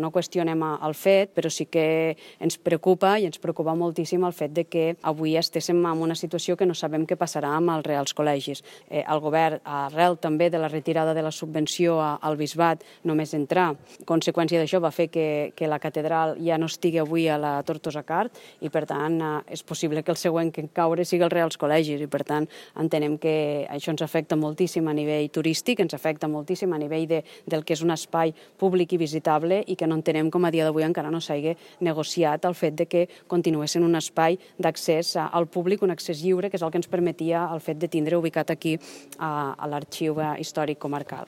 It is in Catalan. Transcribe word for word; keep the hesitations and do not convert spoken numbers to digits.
No qüestionem el fet, però sí que ens preocupa i ens preocupa moltíssim el fet de que avui estéssim en una situació que no sabem què passarà amb els Reals Col·legis. Eh, el govern, arrel també de la retirada de la subvenció al Bisbat, només entrar. Conseqüència d'això va fer que, que la catedral ja no estigui avui a la Tortosa Cart i, per tant, eh, és possible que el següent que caure sigui els Reals Col·legis i, per tant, entenem que això ens afecta moltíssim a nivell turístic, ens afecta moltíssim a nivell de, del que és un espai públic i visitable i que no entenem com a dia d'avui encara no s'hagi negociat el fet de que continués sent un espai d'accés al públic, un accés lliure, que és el que ens permetia el fet de tindre ubicat aquí a, a l'Arxiu Històric Comarcal.